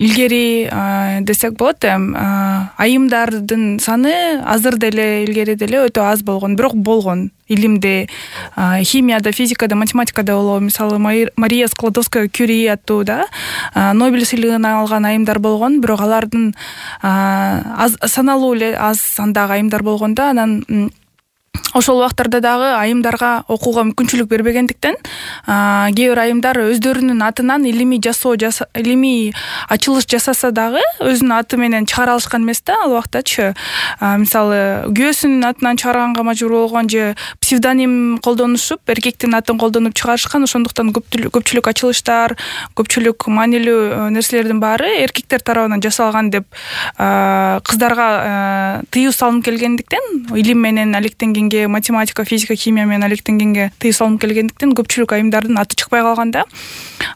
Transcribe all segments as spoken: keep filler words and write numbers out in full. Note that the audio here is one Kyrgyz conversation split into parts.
илгери десек болот, эми айымдардын саны азыр деле илгери деле өтө аз болгон, бирок болгон. Илимде, химияда, физикада, математикада болобу, мисалы Мария Складовская-Кюри аттуу да Нобель сыйлыгын алган айымдар болгон, бирок алардын саналуу эле аз сандагы айымдар болгон да. Анан ошол убактарда дагы айымдарга окууга мүмкүнчүлүк бербегендиктен кээ бир айымдар өздөрүнүн атынан илимий жасоо, илимий ачылыш жасаса дагы өзүнүн аты менен чыгара алышкан эмес да ал убактачы. Мисалы күйөөсүнүн атынан чыгарганга мажбур болгон же псевдоним колдонушуп, эркектин атын колдонуп чыгарышкан. Ошондуктан көпчүлүк ачылыштар, көпчүлүк маанилүү нерселердин баары эркектер тарабынан жасалган деп кыздарга тыюу салынып келгендиктен, илим менен алектенгенге, математика, физика, химия менен алектенгенге тыюу салынып келгендиктен көпчүлүк айымдардын аты чыкпай калган да.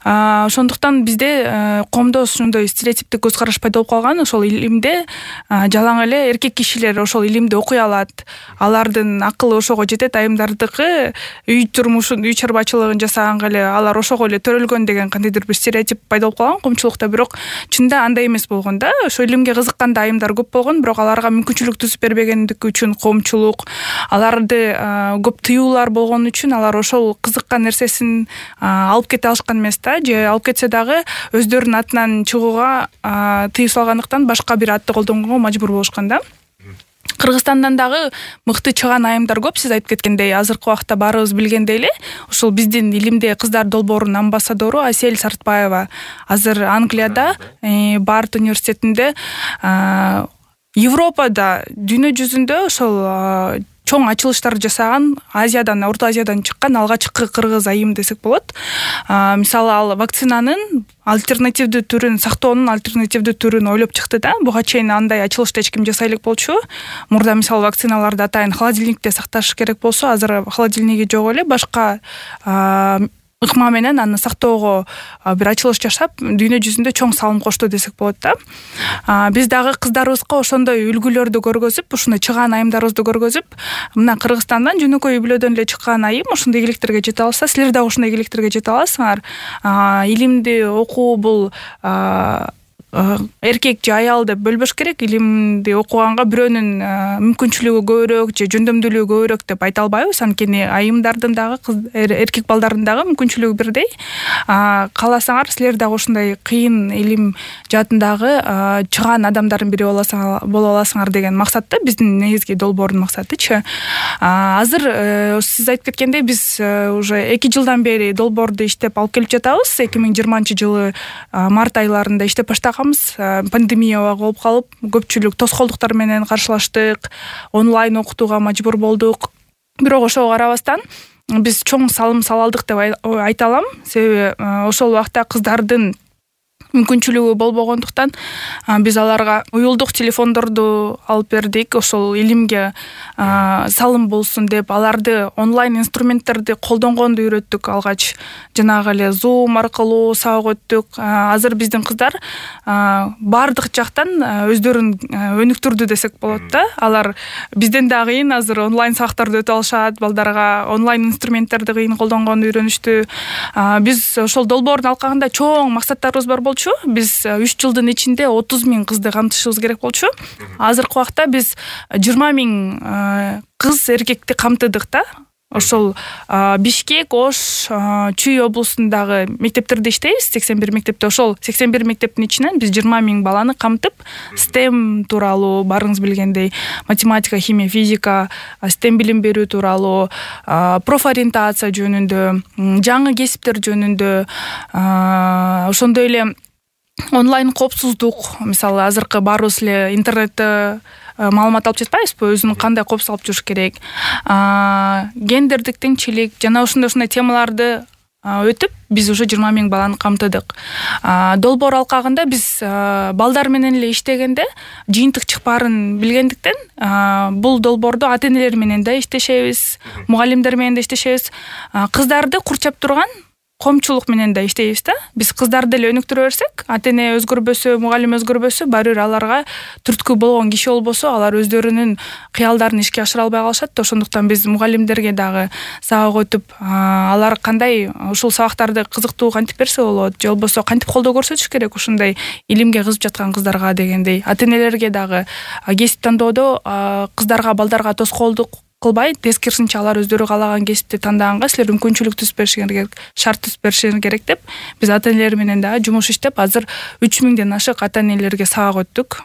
Ошондуктан бизде коомдо ушундай стереотиптик көз караш пайда болуп калган. Ошол илимде жалаң эле эркек кишилер ошол илимди окуй алат, алардын акылы ошого жетет, айымдардыкы үй турмушун, үй чарбачылыгын жасаганга эле алар ошого эле төрөлгөн деген кандайдыр бир стереотип пайда болуп калган коомчулукта. Бирок чынында андай эмес болгон да. Ошо илимге кызыккан да айымдар көп болгон, бирок аларга мүмкүнчүлүк түзүп бербегендиги үчүн коомчулук, аларды көп тыюулар болгон үчүн алар ошол кызыккан нерсесин алып кете алышкан эмес да, же алып кетсе дагы өздөрүнүн атынан чыгууга тыюу салгандыктан башка бир атты колдонгонго мажбур болушкан да. Кыргызстандан дагы мыкты чыган айымдар көп. Сиз айтып кеткендей, азыркы убакта баарыбыз билгендей эле, ушул биздин илимде кыздар долбоорунун амбассадору Асель Сартбаева азыр Англияда, Барт университетинде, Европада, дүйнө жүзүндө ошол чоң ачылыштар жасаган, Азиядан, Орто Азиядан чыккан алгачкы кыргыз айым десек болот. Мисалы, ал вакцинанын альтернативдүү түрүн, сактоонун альтернативдүү түрүн ойлоп чыкты да. Буга чейин андай ачылышты эч ким жасай элек болчу. Мурда мисалы вакциналарды атайын холодильникте сакташ керек болсо, азыр холодильниги жок эле, башка ыкма менен аны сактоого бир ачылыш жашап, дүйнө жүзүндө чоң салым кошту десек болот да. Биз дагы кыздарыбызга ошондой үлгүлөрдү көргөзүп, ушуну чыган айымдарыбызды көргөзүп, мына Кыргызстандан жөнөкөй үй бүлөдөн эле чыккан айым ошондой ийгиликтерге жете алса, силер дагы ошондой ийгиликтерге жете аласыңар. Илимди окуу бул эркек же аял деп бөлбөш керек. Илимди окуганга бирөөнүн мүмкүнчүлүгү көбүрөөк же жөндөмдүүлүгү көбүрөөк деп айта албайбыз. Анткени айымдардын дагы, эркек балдардын дагы мүмкүнчүлүгү бирдей. Кааласаңар, силер дагы ошондой кыйын илим жаатындагы чыган адамдардын бири боло аласыңар деген максатта биздин негизги долбоордун максатычы. Азыр сиз айтып кеткендей, биз уже эки жылдан бери долбоорду иштеп алып келип жатабыз. эки миң жыйырманчы жылы март айларында иштеп баштаган. Пандемия болуп калып, көпчүлүк тоскоолдуктар менен каршылаштык, онлайн окутууга мажбур болдук. Бирок ошого карабастан биз чоң салым сала алдык деп айта алам. Себеби ошол убакта кыздардын мүмкүнчүлүгү болбогондуктан биз аларга уюлдук телефондорду алып бердик. Ошол илимге салым болсун деп аларды онлайн инструменттерди колдонгонду үйрөттүк. Алгач жанагы эле Zoom аркылуу сабак өттүк. Азыр биздин кыздар баардык жактан өздөрүн өнүктүрдү десек болот да. Алар бизден да кыйын азыр онлайн сабактарды өтө алышат, балдарга онлайн инструменттерди кыйын колдонгонду үйрөнүштү. Биз ошол долбоордун алкагында чоң максаттарыбыз бар болчу. Биз үч жылдын ичинде отуз миң кызды камтышыбыз керек болчу. Азыркы убакта биз жыйырма миң кыз, эркекти камтыдык да. Ошол Бишкек, Ош, Чүй облусундагы мектептерде иштейбиз, сексен бир мектепте. Ошол сексен бир мектептин ичинен биз жыйырма миң баланы камтып, STEM тууралуу, барыңыз билгендей, математика, химия, физика, STEM билим берүү тууралуу, профориентация жөнүндө, жаңы кесиптер жөнүндө, ошондой эле онлайн коопсуздук, мисалы азыркы баарыбыз эле интернетте маалымат алып жатпайбызбы, өзүнүн кандай коопсуз алып жүрүш керек, гендердик теңчилик жана ошондой-ошондой темаларды өтүп, биз уже жыйырма миң баланы камтыдык. Долбоор алкагында биз балдар менен эле иштегенде жыйынтык чыкпаарын билгендиктен, бул долбоорду ата-энелер менен да иштешебиз, мугалимдер менен да иштешебиз. Кыздарды курчап турган коомчулук менен да иштейбиз да. Биз кыздарды деле өнүктүрө берсек, ата эне өзгөрбөсө, мугалим өзгөрбөсө, баары бир аларга түрткү болгон киши болбосо, алар өздөрүнүн кыялдарын ишке ашыра албай калышат да. Ошондуктан биз мугалимдерге дагы сабак өтүп, алар кандай ушул сабактарды кызыктуу кантип берсе болот, же болбосо кантип колдоо көрсөтүш керек ушундай илимге кызып жаткан кыздарга дегендей. Ата энелерге дагы кесип тандоодо кыздарга, балдарга тоскоолдук кылбай, тескерисинче алар өздөрү каалаган кесипти тандаганга силер мүмкүнчүлүк түзүп беришиңер керек, шарт түзүп беришиңер керек деп биз ата энелер менен дагы жумуш иштеп, азыр үч миңден ашык ата энелерге сабак өттүк.